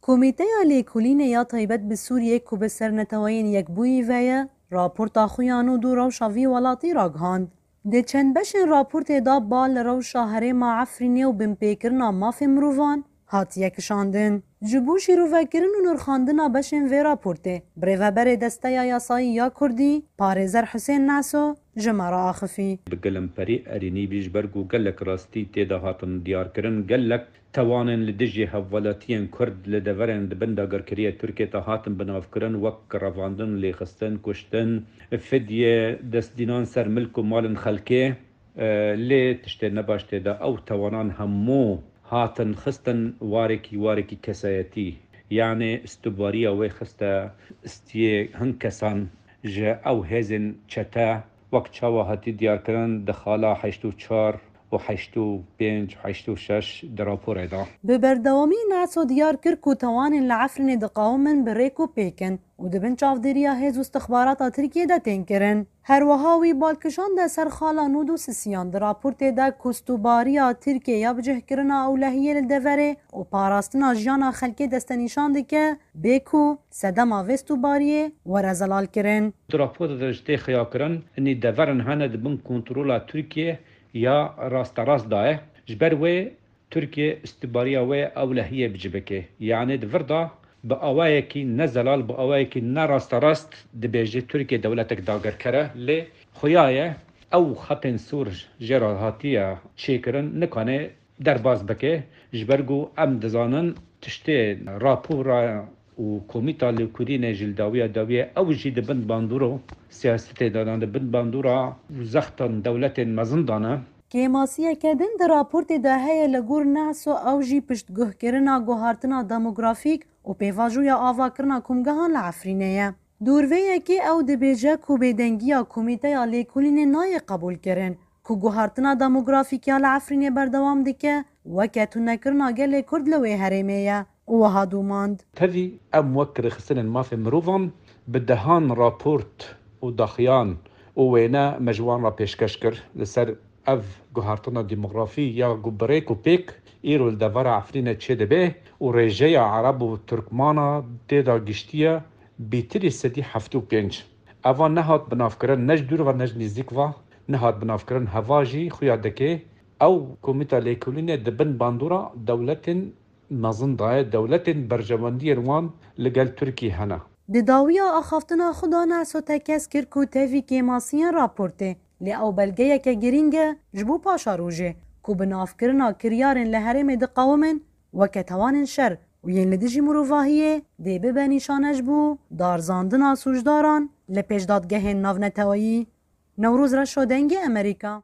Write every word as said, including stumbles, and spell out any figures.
Komîteya Lêkolînê ya Taybet bi Sûriyê ku bi ser Neteweyên Yekbûyî ve ye, raporta xwe ya nû dû rewşa vî welatî ragihand. Di çend beşên raportê de ba li rewşa herêma Efrînê û binpêkirina mafê mirovan hatiye kişandin. Ji bo şîrovekirin û nirxandina beşên vê raportê, birêveberê Desteya Yasayî ya Kurdî, parêzer Husên Naso, ji me re axifî. Bi gelemperî erênî bî, ji ber ku gelek rastî tê de hatin diyarkirin, gelek tewanên li dijî hevwelatiyên Kurd li deverên di bin dagirkeriya Tirkiyê de hatin binavkirin, wek revandin, lêxistin, kuştin, fidye, destdînan ser milk û malên xelkê, e, lê tiştê nebaş tê de ew tewanan hemû hatin xistin warekî, warekî kesayetî. Yanê istubariya wê xiste istiyê hin kesan ji ew hêzên çete, wek çawa hatî diyarkirin di xala heşt û çar û heşt û pênc, heşt û şeş di raporê de. Bi berdewamî Naso diyar kir ku tewanên li Efrînê diqawimin bi rêk û pêk in û di bin çavdêriya hêz û istixbarata Tirkiyê de tên kirin. Her wiha wî bal kişande ser xala nû dû sisiyan di raportê de ku stûbariya Tirkiyê ya bicihkirina ewlehiyê li deverê û parastina jiyana xelkê destenîşan dike, bê ku sedema vê stûbariyê were zelalkirin. Di raporê de ji tê xiyakirin, inî deverin hene di bin kontrola Tirkiyê ya rasterast de ye. Ji ber wê Tirkiye istibariya wê ewlehiyê bicivike. Yanê di vir de bi awayekî ne zelal, bi awayekî ne rasterast dibêje Tirkiye dewletek dagirker e. Lê xuya ye ew xetên sor jê re hatiye çêkirin, nikane derbas bike. Ji ber ku em dizanin tiştê rapora û komîta lêkolînê ji li dawiya dawiyê ew jî di bin bandora siyasetê de ne, di bin bandora û zextan dewletên mezin de ne. Kêmasiyeke din di raportê de heye li gor Naso ew jî piştguhkirina guhartina demografîk û pêvajoya avakirina komgehan li Efrînê ye. Dûr vê yekê ew dibêje ku bêdengiya Komîteya Lêkolînê nayê qebûlkirin, ku guhartina demografîk ya li Efrînê berdewam dike, weke tunekirina gelê Kurd li wê herêmê ye û wiha domand. Tevî em wek rêxistinên mafê mirovan bi dehan raport û daxuyan û wêne me ji wan re pêşkeş kir li ser ev guhartina demografî ya ku bi rêk û pêk îro li devera Efrînê çêdibe û rêjeya Ereb û Tirkmana tê de giştiye bîtirî sedî heftê û pênc. Eva nehat binavkirin, ne ji dûr ve ne ji nêzîk ve nehat binavkirin. Heva jî xuya dike ew Komîta Lêkolînê di bin bandora dewletên mezin de ye, dewletên berjewendiyên wan li gel Tirkiyê hene. Di dawiya axaftina xwe de Naso tekez kir ku tevî kêmasiyên raportê, lê ew belgeyeke girîng e ji bo paşarojê ku binavkirina kiryarên li herêmê diqawimin weke tewanên şer û yên li dijî mirovahiyê dê bibe nîşane ji bo darzandina sûcdaran li pêş dadgehên navneteweyî. Newroz Reşo, Dengê Amerîka.